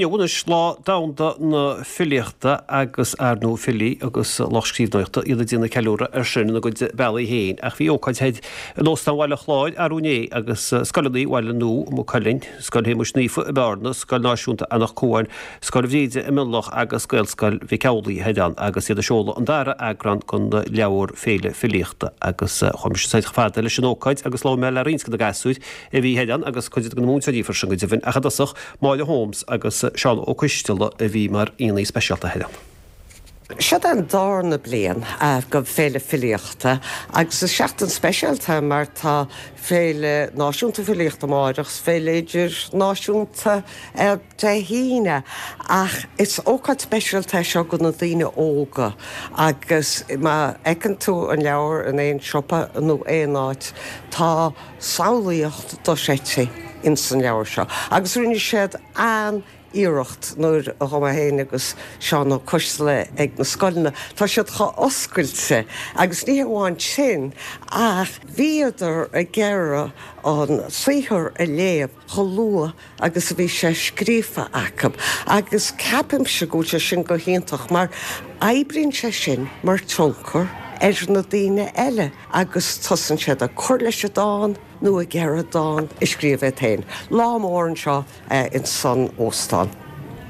Inniu anois Lá Domhanda na Filíochta agus ar ndóigh filí agus lucht scríbhneoireachta iad ag déanamh ceiliúradh air sin ina gcuid bealaí féin. Ach bhí ócáid thoir in Óstán Bhaile Chláir arú inné agus scoileanna Bhaile Nua i Maigh Cuilinn, Scoil Shéamuis Naofa i mBearna, Scoil Náisiúnta Anach Cuain, Scoil Bhríde i Mionlach agus Gaelscoil Mhic Amhlaigh thoir ann agus iad ag seoladh an dara eagrán den leabhar Féile Filíochta agus chuaigh mise soir chomh fada leis an ócáid agus labhair mé le roinnt de na gasúir a bhí thoir ann agus cuid de na múinteoirí freisin go deimhin ach i dtosach Máire Holmes agus Seán Ó Coisteala a bhí mar aíonna speisialta thoir ann. Seod é an dárna bliain go Féile Filíochta agus is seachtain speisialta mar tá Féile Náisiúnta Filíochta amáireach 's Féile Idirnáisiúnta Dé hAoine ach is ócáid speisialta é seo go na daoine óga agus má fheiceann tú an leabhar in aon siopa nó aon áit tá samhlaíocht dochreidte ins an leabhar seo agus rinne siad an-iarracht nuair a ghabh mé féin agus Seán Ó Coisteala ag na scoileanna, tá siad chomh oscailte agus ní hamháin sin ach bhíodar ag iarraidh an saothar a léamh chomh luath agus a bhí sé scríofa acu agus ceapaimse go bhfuil sé sin go hiontach mar oibríonn sé sin mar tionchar ar na daoine eile agus tosaíonn siad ag cur leis an dán nó ag iarraidh dán a scríobh iad féin. Lá mór anseo ins an óstán.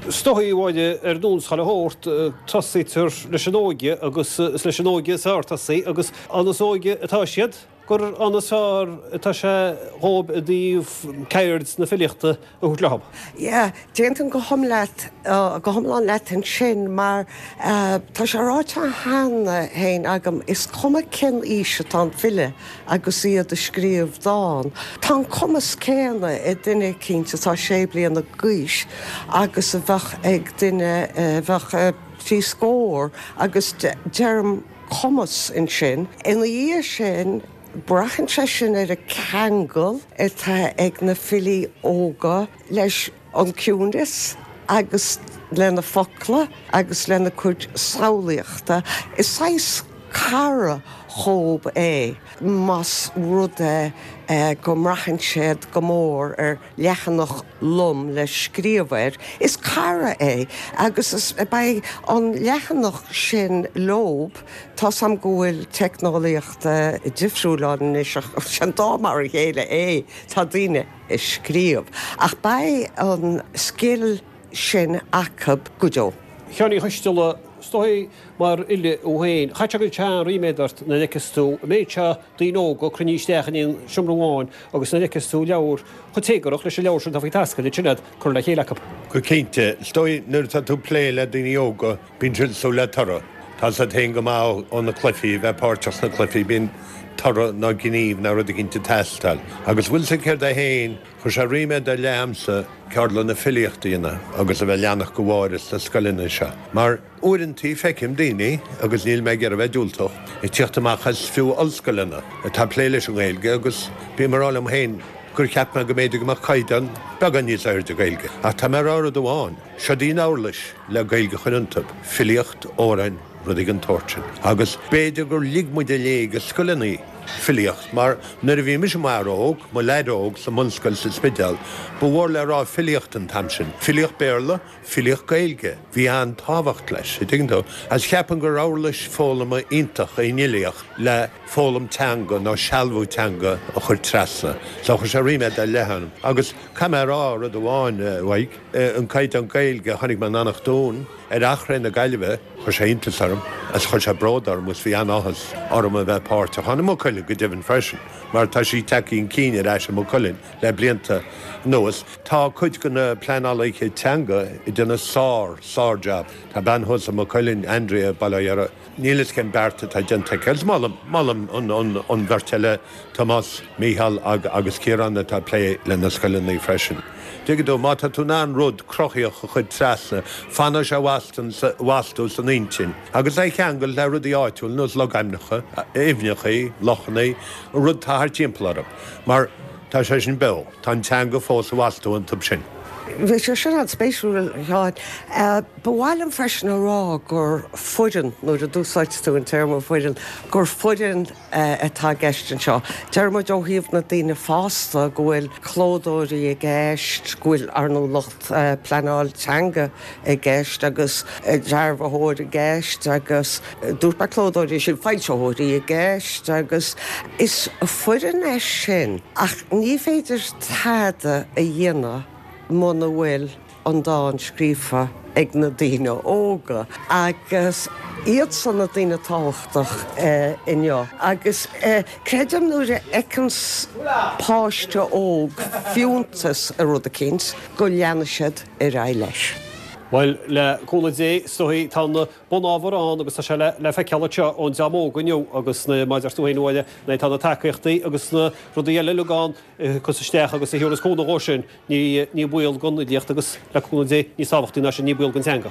Is dóigh, a Mháire, ar nós chuile shórt, tosaítear leis an óige agus is leis an óige is fearr tosaí agus an is óige atá siad, gur an is fearr atá sé dhóibh i dtaobh ceird na filíochta a thabhairt leo. Yeah, d'aontóinn go hiomlán, go hiomlán leat ansin mar tá sé ráite cheana féin agam, is cuma cén aois atá an file agus iad ag scríobh dán, tá an cumas céanna ag duine eicínt atá sé bliana d'aois agus a bheadh ag duine a bheadh trí scór agus deirim, cumas ansin. Ina dhiaidh sin, braitheann sé sin ar an ceangal atá ag na filí óga leis an ciúineas agus lena focla agus lena cuid samhlaíochta. Is saghas cara dhóibh é, más rud é go mbraitheann siad go mór ar leathanach lom le scríobh air. Is cara é agus is beidh an leathanach sin leob. Tá's a'm go bhfuil teicneolaíocht difriúil ann anois ach sin dá mar a chéile é, tá daoine ag scríobh. Ach beidh an scil sin acu go deo. A Sheáin Uí Choisteala, is dóigh mar fhile thú féin, caithfidh sé go bhfuil an-ríméad ort nuair a fheiceas tú an méid seo daoine óga cruinnithe isteach in aon seomra amháin agus nuair a fheiceas tú leabhar chomh téagarach leis an leabhar sin atá faoi taisce duit sin iad curtha le chéile acu. Go cinnte. Is dóigh nuair atá tú ag plé le daoine óga bíonn siad ag súil le toradh. Tá a fhios agat féin go maith ó na cluichí, a bheith páirteach sna cluichí, bíonn toradh nó gníomh nó rud eicínt ag teastáil. Agus bhfuil a fhios agat céard é féin, chuir sé ríméad ar leith ormsa ceardlanna filíochta a dhéanamh agus a bheith ag leanacht de Mháire sna scoileanna seo mar, Uaireantaí feicim daoine, agus níl mé ag iarraidh a bheith diúltach, ag tíocht amach as fiú ollscoileanna atá ag plé leis an nGaeilge agus bím ag rá liom féin gur cheap mé go mb'fhéidir go mbeadh caighdeán beagán níos airde Gaeilge. Ach tá mé ag rá rud amháin, seod í an uirlis le Gaeilge a chur iontu, filíocht, amhráin, rudaí den tsórt sin. Agus b'fhéidir gur lig muid i léig i scoileanna filíocht mar nuair a bhí mise i m'fhear óg, mo leaid óg sa mbunscoil sa Spidéal, ba mhór le rá filíocht an t-am sin, filíocht Béarla, Filíocht Gaeilge, bhí an-tábhacht leis, a' dtuigeann tú? Agus cheapfainn gur uirlis foghlama iontach í an fhilíocht le foghlaim teanga nó sealbhú teanga a chur trasna. So chuir sé ríméad ar leith orm. Agus caithfidh mé a rá rud amháin, a Mhaidhc, an caighdeán Gaeilge a chonaic mé in Eanach Dúin ar Eachréidh na Gaillimhe, chuir sé iontas orm agus chuir sé bród orm agus bhí an-áthas orm a bheith páirteach ann, i Maigh Cuilinn go deimhin freisin, mar tá sí tagtha chun cinn ar ais i Maigh Cuilinn. Le blianta anuas, tá cuid de na pleanálaithe teanga ag déanamh sár, sár-jab. Tá bean thuas i Maigh Cuilinn, Andrea, Baile Átha Dheartha, níl fhios cén beart atá déanta aici. Agus molaim, molaim an bheirt eile, Tomás, Mícheál agus Ciarán atá ag plé le na scoileanna freisin. Tuigeann tú, má tá tú in ann rud cruthaíoch a chur trasna, fanfaidh sé astu san intinn. Agus é a cheangal le rudaí áitiúil, nós logainmneacha, aibhneacha, lochanna, an rud atá thart timpeall orthu. Mar tá sé sin beo. Tá an teanga fós i bhfostú iontu sin. Bhí sé sin an-spéisiúil, a Sheáin. Ba mhaith liom freisin a rá gur foireann, nuair a d'úsáid tú an téarma foireann, gur foireann atá i gceist anseo. Deir muid ó thaobh na daoine fásta go bhfuil clódóirí i gceist, go bhfuil, ar ndóigh, lucht pleanáil teanga i gceist agus dearbhaitheoir i gceist agus dúirt mé clódóirí, sin foilsitheoirí i gceist agus is foireann é sin ach ní féidir tada a dhéanamh muna bhfuil an dán scríofa ag na daoine óga agus iadsan na daoine tábhachtach inniu agus creidim nuair a fheiceanns páiste óg fiúntas i rud eicínt go leanfaidh siad ar aghaidh leis. Bhuel, le cúnamh Dé, is dóigh, tá an bunábhar ann agus tá sé le feiceáil anseo ón dream óg inniu agus mar a deir tú féin, a Mháire, nuair atá na tacaíochtaí agus na rudaí eile uilig ann a thiocfas isteach agus a thabharfas cúnamh dhó sin, ní baol don fhilíocht agus, le cúnamh Dé, níos tábhachtaí ná sin, ní baol don teanga.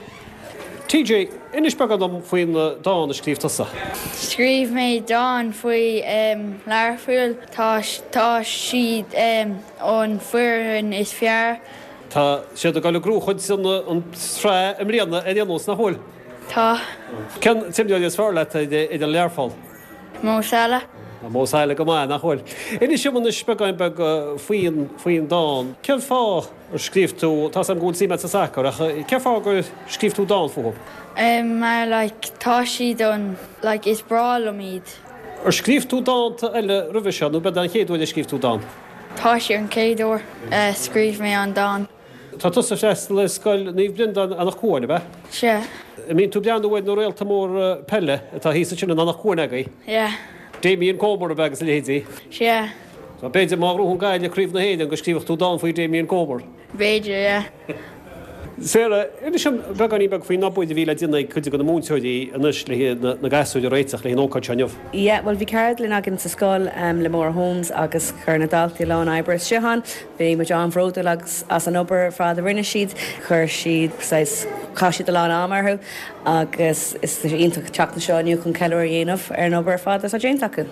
TJ, Inis beagán dom faoin dán a scríobh tusa. Scríobh mé dán faoi Learpholl. Tá siad an foireann is fearr. Tá siad ag dul ag gnóchaint an tsraith i mbliana ar aon nós, nach bhfuil? Tá. Cén t-imreoir is fearr leat ar Learpholl? Mo Salah. Tá Mo Salah go maith, nach bhfuil? Inis dom anois beagán beag faoin, faoin dán. Cén fáth ar scríobh tú, tá 's agam go bhfuil suim agat sa sacar, ach cén fáth gur scríobh tú dán fúthu? Mar like tá siad an, like is breá liom iad. Ar scríobh tú dánta eile roimhe seo nó b'é an chéad uair a scríobh tú dán? Tá sé an chéad uair a scríobh mé an dán. Tá tusa ag freastal ar Scoil Naomh Breandán, Eanach Cuain, ab ea? Sea. An mbíonn tú ag breathnú ar na réalta móra peile atá thíos ansin in Eanach Cuain agaibh? Yeah. Damien Comer, ab ea, agus a leithéidí? Sea. So b'fhéidir má ghnóthaíonn Gaillimh Craobh na hÉireann go scríobhadh tú dán faoi Damien Comer? B'fhéidir, yeah. Sarah, inis dom beagáinín beag faoin obair a bhí le déanamh ag cuid de na múinteoirí anois le na gasúir a réiteach le haghaidh an ócáid seo inniu. Yeah, bhuel bhí ceardlann againn sa scoil le Maura Holmes agus chuir na daltaí a lán oibre isteach ann. Bhí muid an-bhródúil agus as an obair ar fad a rinne siad. Chuir siad saghas, chaith siad a lán ama orthu agus is iontach teacht anseo inniu chun ceiliúradh a dhéanamh ar an obair ar fad atá déanta acu.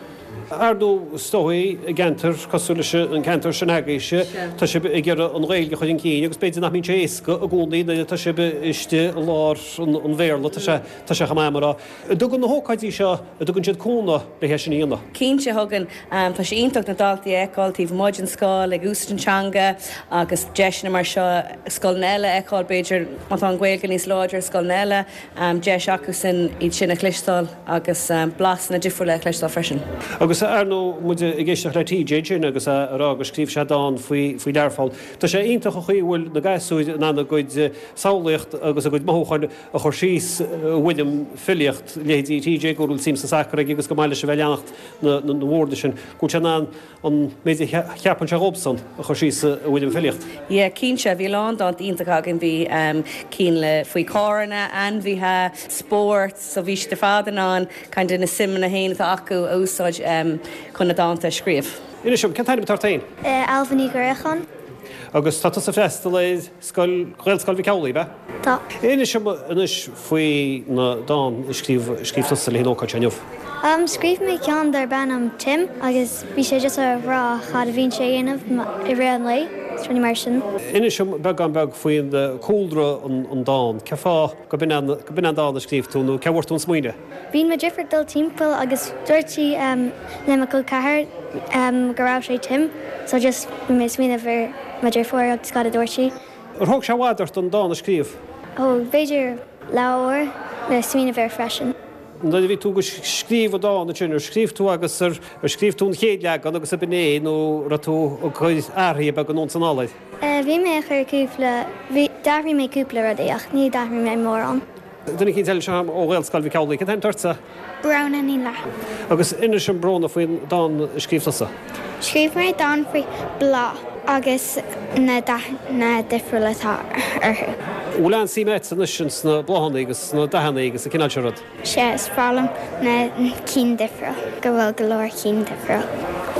Ar ndóigh, is dóigh, i gceantar cosúil leis an gceantar sin agaibhse, tá sibh ag iarraidh an Ghaeilge a chur chun cinn agus b'fhéidir nach mbíonn sé éasca i gcónaí nuair atá sibh istigh i lár an Bhéarla, tá sé, tá sé chomh maith mar a. An dtugann na hócáidí seo, an dtugann siad cúnamh le hé sin a dhéanamh? Cinnte thugann. Tá sé iontach na daltaí a fheiceáil taobh amuigh den scoil ag úsáid an teanga agus deiseanna mar seo scoileanna eile a fheiceáil, b'fhéidir má tá an Ghaeilge níos láidre i scoileanna eile, deis acusan iad sin a chloisteáil agus blasanna difriúla a chloisteáil freisin. Agus ar ndóigh, muid ag éisteacht le TJ ansin agus é ag rá gur scríobh sé dán faoi faoi Learpholl. Tá sé iontach an chaoi a bhfuil na gasúir in ann a gcuid samhlaíocht agus a gcuid mothúcháin a chur síos i bhfoirm filíocht, leithéidí TJ go bhfuil suim sa sacar aige agus go maith leis a bheith ag leanacht na bhfoirne sin, go bhfuil sé in ann an méid a cheapann sé dhóibhsan a chur síos i bhfoirm filíocht. Yeah, cinnte. Bhí a lán dánta iontacha againn. Bhí cinn le faoi carranna, ainmhithe, spórt, so bhí siad ar fad in ann kind of na suimeanna féin atá acu a úsáid chun na dánta a scríobh. Inis dom, cén t-ainm atá ort féin? Ailbhe Ní Ghréacháin. Agus tá tusa ag freastal ar scoil, Ghaelscoil Mhic Amhlaigh, ab ea? Tá. Inis dom anois faoi na dán a scríobh, scríobh tusa le haghaidh an ócáid seo inniu. Scríobh mé ceann darb ainm Tim agus bhí sé just a rá cad a bhíonn sé a dhéanamh i rith an lae, is rudaí mar sin. Inis dom beagán beag faoin cúlra an dán, cén fáth go b'in an, go b'in an dán a scríobh tú nó cé bhfuair tú an smaoineamh? Bíonn mo dheirfiúr ag dul timpeall agus dúirt sí le mo col ceathar go raibh sé Tim so just bhí mé ag smaoineamh ar mo dheirfiúr agus cad a dúirt sí. Ar thóg sé i bhfad ort an dán a scríobh? Thóg, b'fhéidir leathuair le smaoineamh air freisin. Nuair a bhí tú ag scríobh an dán ansin, ar scríobh tú agus ar scríobh tú an chéad leagan agus ab in é nó raibh tú ag cur athruithe beaga anonn is anall air? Bhí mé ag cur cúpla, bhí, d'athraigh mé cúpla rudaí ach ní d'athraigh mé mórán. Duine eicínt eile anseo ó Ghaelscoil Mhic Amhlaigh, cén t-ainm atá ortsa? Bróna Ní Fhlatharta. Agus inis dom Bróna faoin dán a scríobh tusa. Scríobh mé dán faoi bláth agus na dathanna difriúla atá orthu. An bhfuil an-suim agat anois ins na bláthanna agus sna dathanna agus an cineál seo rud? Sea, is breá liom na cinn difriúil, go bhfuil go leor cinn difriúil.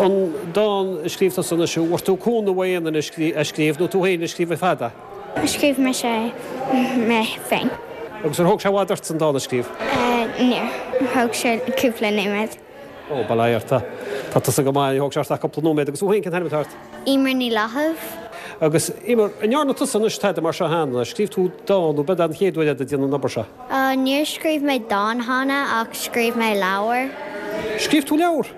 An dán a scríobh tusa anois, an bhfuair tú cúnamh ó aon duine é a scríobh nó tú féin a scríobh ar fad é? Scríobh mise é mé féin. Agus ar thóg sé i bhfad ort an dán a scríobh? Níor. Thóg sé cúpla nóiméad. Ó, bail ó Dhia ort. Tá tusa go maith, ní thóg sé ort ach cúpla nóiméad. Agus thú féin, cén t-ainm atá ort? Eimear Ní Fhlathaimh. Agus, Eimear, an ndearna tusa anois tada mar seo cheana? Scríobh tú dán nó b'é an chéad uair é ag déanamh an obair seo? Níor scríobh mé dán cheana ach scríobh mé leabhar. Scríobh tú leabhar?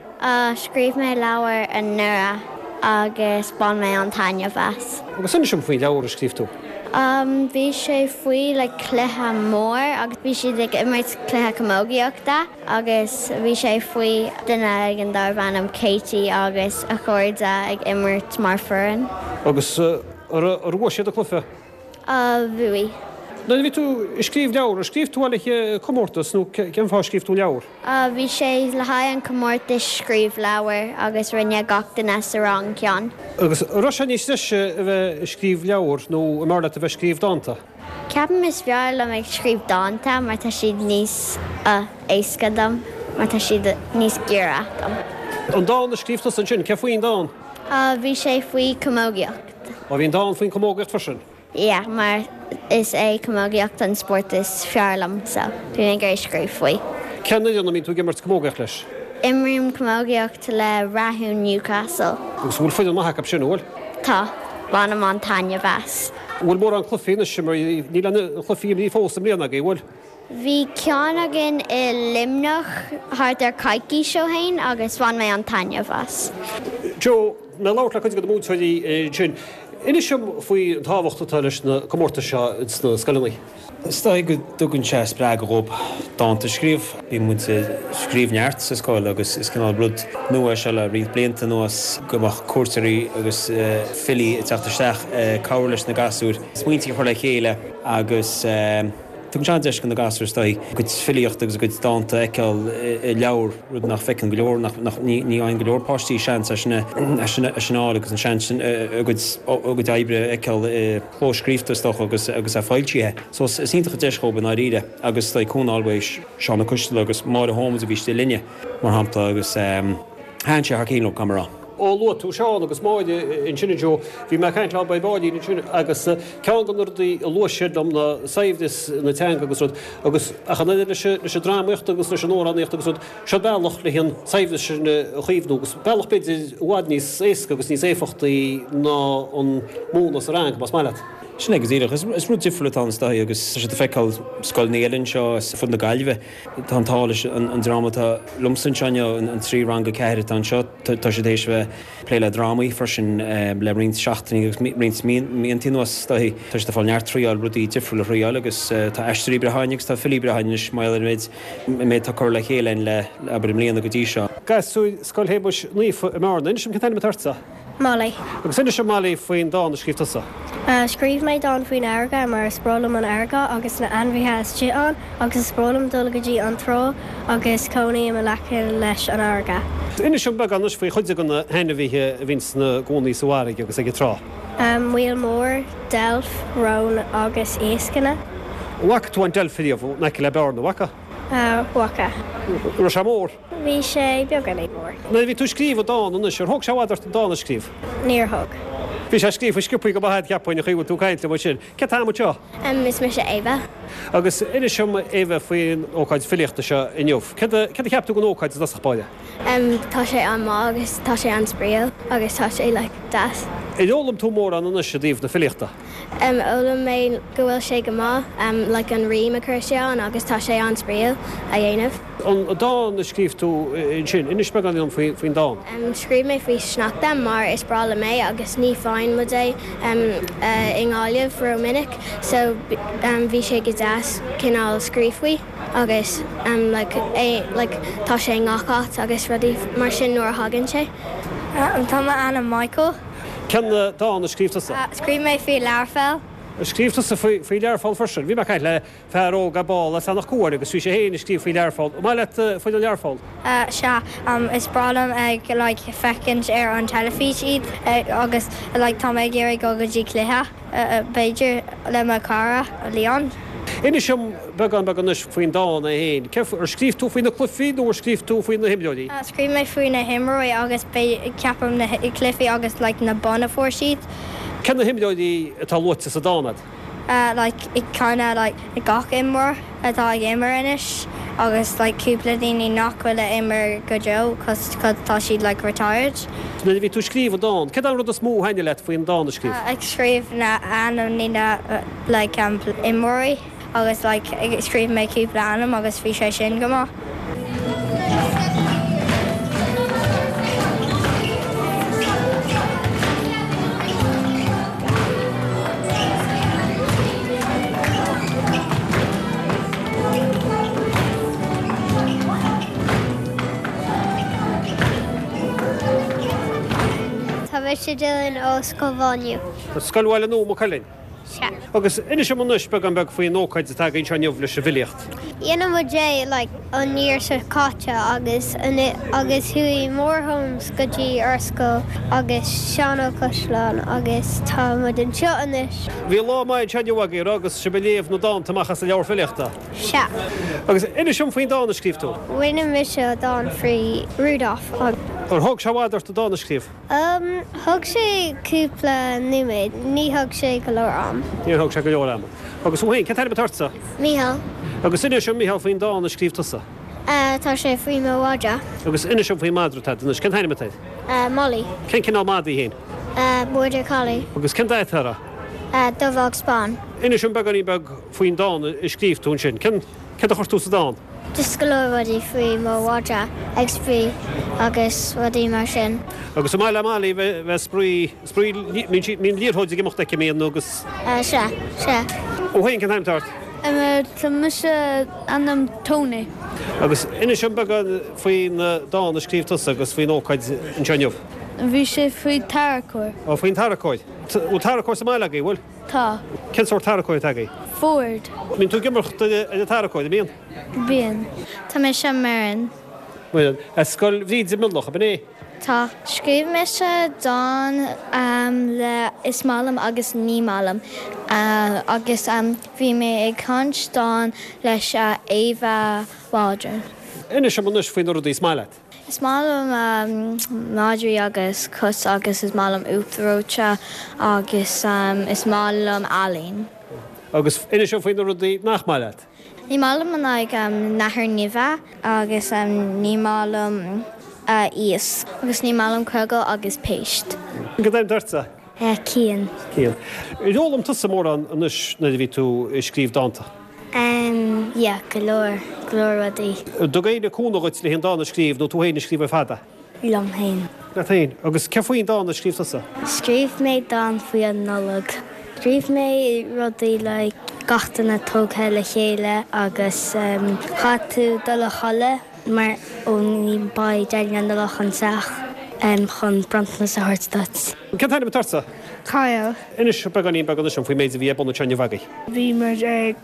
Scríobh mé leabhar anuraidh agus bhain mé an-taitneamh as. Agus inis dom faoin leabhar a scríobh tú. Bhí sé faoi like cluiche mór agus bhí siad ag imirt cluiche camógaíochta agus bhí sé faoi duine éigin darbh ainm Katie agus a chairde ag imirt mar foireann. Agus ar bhuaigh siad an cluiche? Bhuaigh. Nuair a bhí tú ag scríobh leabhar, ar scríobh tú le haghaidh comórtas nó cén fáth a scríobh tú leabhar? Bhí sé le haghaidh an comórtas scríobh leabhar agus rinne gach duine sa rang ceann. Agus an raibh sé níos deise a bheith ag scríobh leabhar nó an mb'fhearr leat a bheith ag scríobh dánta? Ceapaim is fearr liom ag scríobh dánta mar tá siad níos éasca dom mar tá siad níos giorra dom. An dán a scríobh tusa ansin, cé faoin dán? Bhí sé faoi camógaíocht. Ó bhí an dán faoin chamógaíocht freisin. Yeah, mar is é camógaíocht an spórt is fearr liom so bhí mé ag iarraidh scríobh faoi. Cén fhoireann a mbíonn tú ag imirt camógaíocht leis? Imrím camógaíocht le Rathún Newcastle. Agus an bhfuil foireann maith acu sin, an bhfuil? Tá. Bainim an-taitneamh as. An bhfuil mórán cluichí anois imeartha? Níl aon chluichí imeartha fós i mbliana agaibh, an bhfuil? Bhí ceann againn i Luimneach thart ar coicís ó shin agus bhain mé an-taitneamh as. Joe, mé ag labhairt le cuid de na múinteoirí ansin. Inis dom faoi an tábhacht atá leis na comórtais seo ins na scoileanna. Is dóigh go dtugann sé spreagadh dhóibh dánta a scríobh. Bíonn muid ag scríobh neart sa scoil agus is cineál rud nua é seo le roinnt blianta anuas go mbeadh cuairteoirí agus filí ag teacht isteach ag cabhrú leis na gasúir smaointí a chur le chéile agus Tugann sé an-deis do na gasúir is dóigh a gcuid filíochta agus a gcuid dánta a fheiceáil i leabhar, rud nach bhfeiceann go leor, nach, nach, ní, ní fhaigheann go leor páistí seans é sin a, é sin a, é sin a fháil agus an seans sin a gcuid, a gcuid oibre a fheiceáil i clóscríofa is dócha agus, agus é foilsithe. So is, is iontach an deis dhóibh i ndáiríre agus is dóigh cúnamh a fháil uaidh Seán Ó Coistealbha agus Máire Holmes a bhí istigh linne, mar shampla, agus thaitin sé thar cinn leo, caithfidh mé a rá. Ó luaigh tú Seán agus Máire ansin a Joe, bhí mé ag caint leo ar baillín ansin agus ceann de na rudaí a luaigh siad liom ná saibhreas na teanga agus rud agus ach an oiread leis leis an drámaíocht agus leis an amhránaíocht agus rud, seo bealach le an saibhreas sin a chaomhnú agus bealach b'fhéidir i bhfad níos éasca agus níos éifeachtaí ná an múineadh sa rang, más maith leat. Sin é go díreach. Is rud difriúil atá ann is dóigh agus tá siad ag feiceáil scoileanna eile anseo ar fud na Gaillimhe. Tá an t-ádh leis an dream atá liomsa anseo inniu, an 3 rang 4 atá anseo, tá siad théis a bheith ag plé le drámaí freisin le roinnt seachtainí agus roinnt míontaí anuas. Tá siad ag fáil neart triáil, rudaí difriúla a thriáil agus tá aisteoirí breátha againn agus tá filí breátha againn anois mar gheall ar an méid, an méid atá curtha le chéile againn le, abair, i mbliana go dtí seo. Gasúir Scoil Shéamuis Naofa i mBearna. Inis dom cén t-ainm atá ortsa? Molly. Agus inis dom Molly faoin dán a scríobh tusa. Scríobh mé dán faoin fharraige mar is breá liom an fharraige agus na ainmhithe istigh ann agus is breá liom dul go dtí an trá agus cónaím in aice leis an fharraige. Inis dom beagán anois faoi chuid de na hainmhithe a bhíonn ina gcónaí sa bhfarraige agus ag an trá. Míol mór, deilf, rón agus iascanna. An bhfaca tú an deilf riamh in aice le Bearna, an bhfaca? Bhfaca. An raibh sé mór? Bhí sé beagáinín mór. Nuair a bhí tú ag scríobh an dán anois, ar thóg sé i bhfad ort an dán a scríobh? Níor thóg. Bhí sé scríofa sciobthaí go maith agat cheapfainn, an chaoi a bhfuil tú ag caint liom ansin. Cén t-ainm anseo? Is mise Ava. Agus inis dom, Ava, faoin ócáid filíochta seo inniu. Céard a, céard a cheap tú den ócáid i dtosach báire? Tá sé an-maith agus tá sé an-spraíúil agus tá sé like deas. Ar fhoghlaim tú mórán anois i dtaobh na filíochta? D'fhoghlaim mé go bhfuil sé go maith like an rím a chur isteach ann agus tá sé an-spraíúil a dhéanamh. An dán a scríobh tú ansin, inis beagán dom faoin dán. Scríobh mé faoi sneachta mar is breá liom é agus ní faigheann muid é i nGaillimh ró-mhinic so bhí sé go deas cineál scríobh faoi agus like é like tá sé i ngach áit agus rudaí mar sin nuair a thagann sé. Tá m'ainm Michael. Cén dán a scríobh tusa? Scríobh mé faoi Learpholl. Scríobh tusa faoi Learpholl freisin. Bhí mé ag caint le fear óg ar ball as Eanach Cuain agus bhí sé féin ag scríobh faoi Learpholl. An maith leat foireann Learpholl? Sea, is breá liom ag like féachaint ar an teilifís iad agus like tá mé ag iarraidh dul go dtí cluiche b'fhéidir le mo chara Leon. Inis dom beagán beag anois faoin dán é féin. Cé, ar scríobh tú faoi na cluichí nó ar scríobh tú faoi na himreoirí? Scríobh mé faoi na himreoirí agus ceapaim na cluichí agus like na boinn a fuair siad. Cé na himreoirí atá luaite sa dán agat? Like kinda like gach imreoir atá ag imirt anois. agus like cúpla daoine nach bhfuil a imir go deo cos tá siad like retired. Nuair a bhí tú ag scríobh an dán, céard an rud is mó a thaitnigh leat faoin dán a scríobh? Ag scríobh na ainmní na like imreoirí. Agus like scríobh mé cúpla ainm agus bhí sé sin go maith. Tá mise Dylan ó Scoil Mhá Nuad. Scoil Bhaile Nua, Maigh Cuilinn. Sea. Agus inis dom anois beagán beag faoin ócáid atá againn anseo inniu leis an bhfilíocht. Dhein muid é like an year seo caite agus agus chuaigh Maura Holmes go dtí ár scoil agus Seán Ó Coisleáin agus tá muid anseo anois. Bhí lá maith anseo inniu agaibh, raibh, agus sibh ag léamh na dánta amach as an leabhar filíochta. Sea. Agus inis dom faoin dán a scríobh tú. Rinne mise dán faoi Rudolph agus. Ar thóg sé i bhfad ort an dán a scríobh? Umm, thóg sé cúpla nóiméad, ní thóg sé go leor am. Níor thóg sé go leor ama. Agus thú féin, cén t-ainm atá ortsa? Mícheál. Agus inis dom, Mícheál, faoin dán a scríobh tusa. Eh, tá sé faoi mo mhadra. Agus inis dom faoin madra atá agat anois, cén t-ainm atá air? Eh, Molly. Cén cineál mada í féin? Eh, Border Collie. Agus cén dath atá uirthi? Eh, dubh agus bán. Inis dom beagáinín beag faoin dán a scríobh tú ansin. Cén, céard a chuir tú sa dán? Just go leor rudaí faoi mo mhadra ag spraoi agus rudaí mar sin. Agus an maith le Molly bheith ag spraoi, spraoi, mbíonn sí, mbíonn liathróid ag imeacht aici, mbíonn agus. Sea, sea. Thú féin, cén t-ainm atá ort? Tá mise ainm Tony. Agus inis dom beagán faoin dán a scríobh tusa agus faoin ócáid anseo inniu. Bhí sé faoi tarracóir. Ó, faoin tarracóir. Bhfuil tarracóir sa mbaile agaibh, bhfuil? Tá. Cén sórt tarracóir atá agaibh? Ford. Mbíonn tú ag imeacht ar an tarracóir, an mbíonn? Bíonn. Tá mise Muireann. Muireann. As Scoil Bhríde Mionlach, ab in é? Tá. Scríobh mise dán le is maith liom agus ní maith liom agus bhí mé ag caint dán leis Ava Waldron. Inis dom anois faoi na rudaí is maith leat. Is maith liom madraí agus cait agus is maith liom uachtar reoite agus is maith liom ealaín. Agus inis dom faoi na rudaí nach maith leat. Ní maith liom like nathair nimhe agus ní maith liom iasc agus ní maith liom crogaill agus péist. Cén t-ainm atá ortsa? Cian. Cian. Ar fhoghlaim tusa mórán anois nuair a bhí tú ag scríobh dánta? Em, yeah, go leor, go leor rudaí. An dtug éinne cúnamh dhuit le an dán a scríobh nó tú féin a scríobh ar fad é? Liom féin. Leat féin. Agus céard faoin dán a scríobh tusa? Scríobh mé dán faoi an Nollaig. Scríobh mé rudaí like gach duine tógtha le chéile agus em caithfidh tú dul a chodladh mar ó ní beidh Daidí na Nollag anseo em chun bronntanas a thabhairt duit. Cén t-ainm atá ortsa? Kyle. Inis beagáinín beag anois dom faoin méid a bhí ar bun anseo inniu agaibh. Bhí muid ag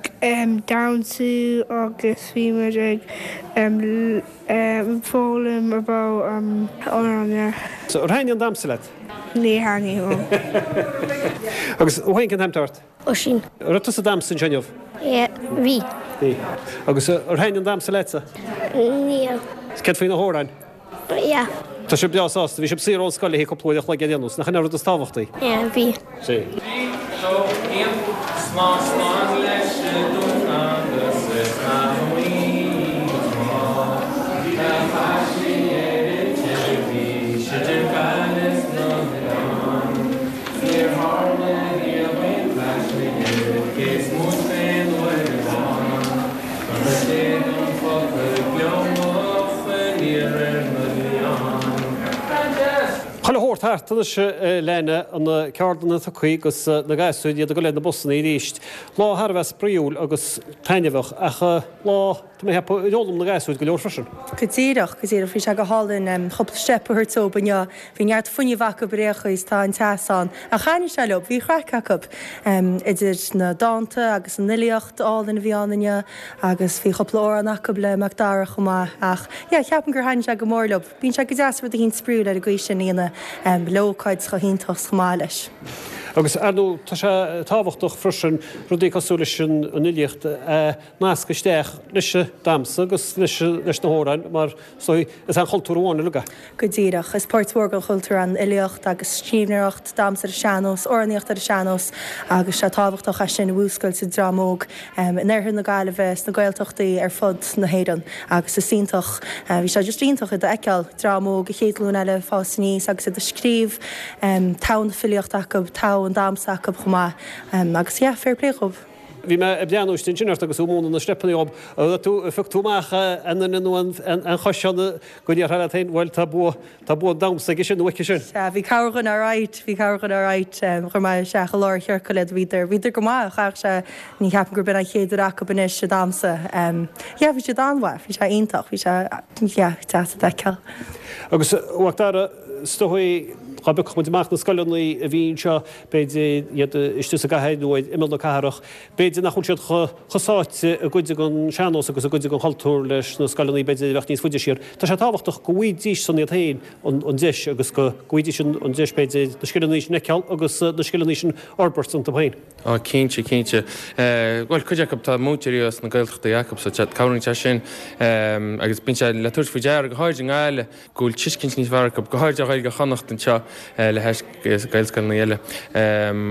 damhsú agus bhí muid ag foghlaim about amhráin. Ar thaitnigh an damhsa leat? Níor thaitnigh liom. Agus thú féin, cén t-ainm atá ort? Oisín. An raibh tusa ag damhsa anseo inniu? Bhí. Bhí. Agus ar thaitnigh an damhsa leatsa? Níor. Céard faoi na hamhráin? Yeah. Tá sibh breá sásta. Bhí sibh saor ón scoil le haghaidh cúpla uair a chloig ar aon nós. Nach in é an rud is tábhachtaí? Yeah, bhí. 3, 2, 1, Slán slán leis an dún agus is maith Tá taisí ar an teilifís idir Gaillimh 's na hoileáin Níor tharla riamh aon taisme cé is móite d'aon uair amháin Chuile shórt thart anois a Leana, na ceardlanna tugtha agus na gasúir, iad ag dul ar na busanna arís. Lá thar a bheith spraíúil agus taitneamhach ach lá, tá mé ag ceapadh, ar fhoghlaim na gasúir go leor freisin. Go díreach, go díreach. Bhí sé go hálainn cúpla steip a thabhairt dóibh inniu. Bhí neart fuinnimh acu ar aon chaoi is tá an teas ann. Ach thaitnigh sé leo, bhí craic acu. Idir na dánta agus an fhilíocht álainn a bhí ann inniu agus bhí cúpla amhrán acu le Mac Dara chomh maith. Ach yeah, ceapaim gur thaitnigh sé go mór leo. Bíonn sé go deas rud eicínt spraíúil ar an gcaoi sin a dhéanamh le ócáid chomh hiontach chomh maith leis. Agus, ar ndóigh, tá sé tábhachtach freisin rudaí cosúil leis an fhilíocht a nascadh isteach leis an damhsa agus leis na hamhráin mar is dóigh is aon chultúr amháin uilig é. Go díreach. Is páirt mhór den chultúr an fhilíocht agus scríbhneoireacht, damhsa ar an sean-nós, amhránaíocht ar an sean-nós agus sé tábhachtach é sin a mhúscailt sa dream óg in oirthear na Gaillimhe, sna Gaeltachtaí ar fud na hÉireann agus is iontach, bhí sé just iontach iad a fheiceáil, dream óg, an chéad ghlúin eile ag fás aníos agus iad ag scríobh, togha na filíochta acu, togha an damhsa acu chomh maith agus yeah, fair play dhóibh. Bhí mé ag breathnú istigh ansin ort agus tú ag múineadh na steipeanna dhób. An raibh tú, phioc tú amach aon duine nó aon chois ann go ndéarfá leat féin, bhuel tá bua, tá bua an damhsa aige sin nó aici sin? Sea, bhí corrdhuine alright, bhí corrdhuine alright. Chuir mé isteach i lár an chiorcail iad, bhíodar, bhíodar go maith, chaithfeadh sé, ní cheapaim gurb in an chéad uair acu anois ag damhsa. Yeah, bhí siad an-mhaith, bhí sé iontach, bhí sé, yeah, deas a fheiceáil. Agus, a Mhac Dara, is dóigh, dá bpiocfadh muid amach na scoileanna a bhí anseo, b'fhéidir iad istigh sa gcathair nó ar imeall na cathrach, b'fhéidir nach bhfuil siad chomh sáite i gcuid den sean-nós agus i gcuid den chultúr leis na scoileanna b'fhéidir a bheadh níos faide siar. Tá sé tábhachtach go bhfaighidís san iad féin an deis agus go bhfaighidís an deis b'fhéidir na scileanna sin a fheiceáil agus na scileanna sin a fhorbairt iontu féin. Á, cinnte, cinnte. Bhuel, cuid acu, tá múinteoirí as na Gaeltachtaí acu so cabhraíonn sé sin agus bíonn sé le tabhairt faoi deara, go háirid i nGaillimh, go bhfuil tuiscint níos fearr acu, go háirid ar Ghaeilge Chonnacht anseo le hais Gaelscoileanna eile.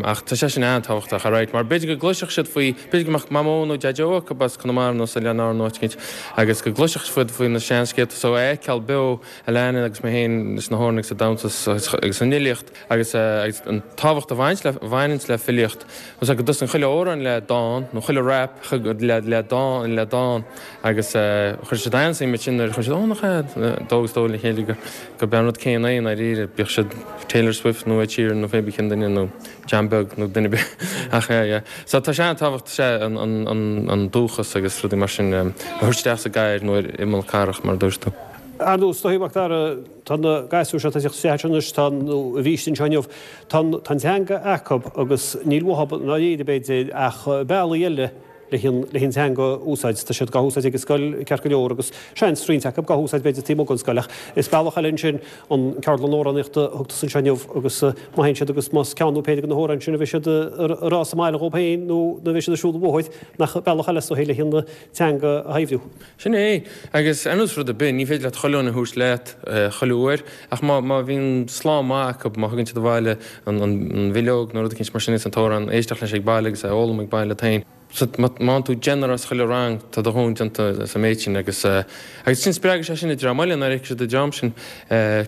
Ach tá sé sin an-tábhachtach, alright, mar b'fhéidir go gcloisfeadh siad faoi, b'fhéidir go mbeadh Mamó nó Deaideo acu as Conamara nó as Oileáin Árann nó áit éicint agus go gcloisfeadh siad faoi na seanscéalta so a fheiceáil beo Alana agus mé féin leis na hamhráin agus an damhsa agus an fhilíocht agus an tábhacht a bhaineanns le filíocht, go dtosaíonn chuile amhrán le dán nó chuile rap le dán le dán. Agus chuir siad an-suim ansin nuair a chuir siad, ó nach ea, dó agus dó le chéile gurb é an rud céanna é i ndáiríre, bíodh siad Taylor Swift nó Ed Sheeran nó pé bith cén duine nó John Beag nó duine ar bith ach yeah yeah. So tá sé an-tábhachtach sea an an an dúchas agus rudaí mar sin a thabhairt isteach sa gcathair nó ar imeall cathrach mar a dúirt tú. Ar ndóigh, is dóigh, Mac Dara, tá na gasúir seo atá ag teacht isteach anois, tá, nó a bhí istigh anseo inniu, tá an tá an teanga acu agus níl uathu i ndáiríre b'fhéidir ach bealaí eile leis an teanga a úsáid. Tá siad dhá húsáid ag an scoil ceart go leor agus seans, roinnt acu dhá húsáid b'fhéidir taobh amuigh den scoil ach is bealach eile ansin an ceardlann amhránaíochta a thug tusa anseo inniu agus má théann siad agus más ceann nó péire de na hamhráin sin a bheidh siad a rá sa mbaile dhóibh féin nó nuair a bheidh siad ag siúl an bhóthair nach bealach eile is dóigh leis an teanga a shaibhriú. Sin é. Agus ar nós rud ar bith, ní féidir leat chuile dhuine a thabhairt leat chuile uair, ach má, má bhíonn slám maith acu, má thugann siad abhaile an, an, an bhileog nó rud eicínt mar sin agus an t-amhrán, éisteacht leis ag baile agus é a fhoghlaim ag baile leat féin. So, má, má fhaigheann tú deichniúr as chuile rang, tá do dhóthain déanta sa méid sin agus, agus sin, spreagfaidh sé sin an dream eile nuair a fheicfidh siad an dream sin,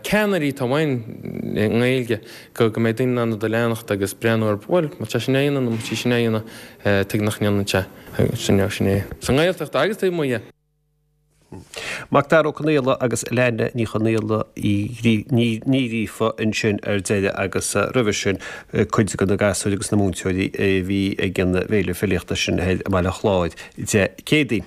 ceannairí atá uainn i nGaeilge, go, go mbeidh daoine in ann iad a leanacht agus breathnú ar, bhuel, má tá sé sin á dhéanamh nó má tá sí sin á dhéanamh, tuige nach ndéanann sé. Sin é, sin é. Sa nGaeltacht agus taobh amuigh dhe. Mac Dara Ó Conaola agus Leana Ní Chonaola Ní Ghríofa ansin ar deireadh agus roimhe sin cuid de na gasúir agus na múinteoirí a bhí ag an bhféile filíochta sin thoir i mBaile Chláir Dé Céadaoin.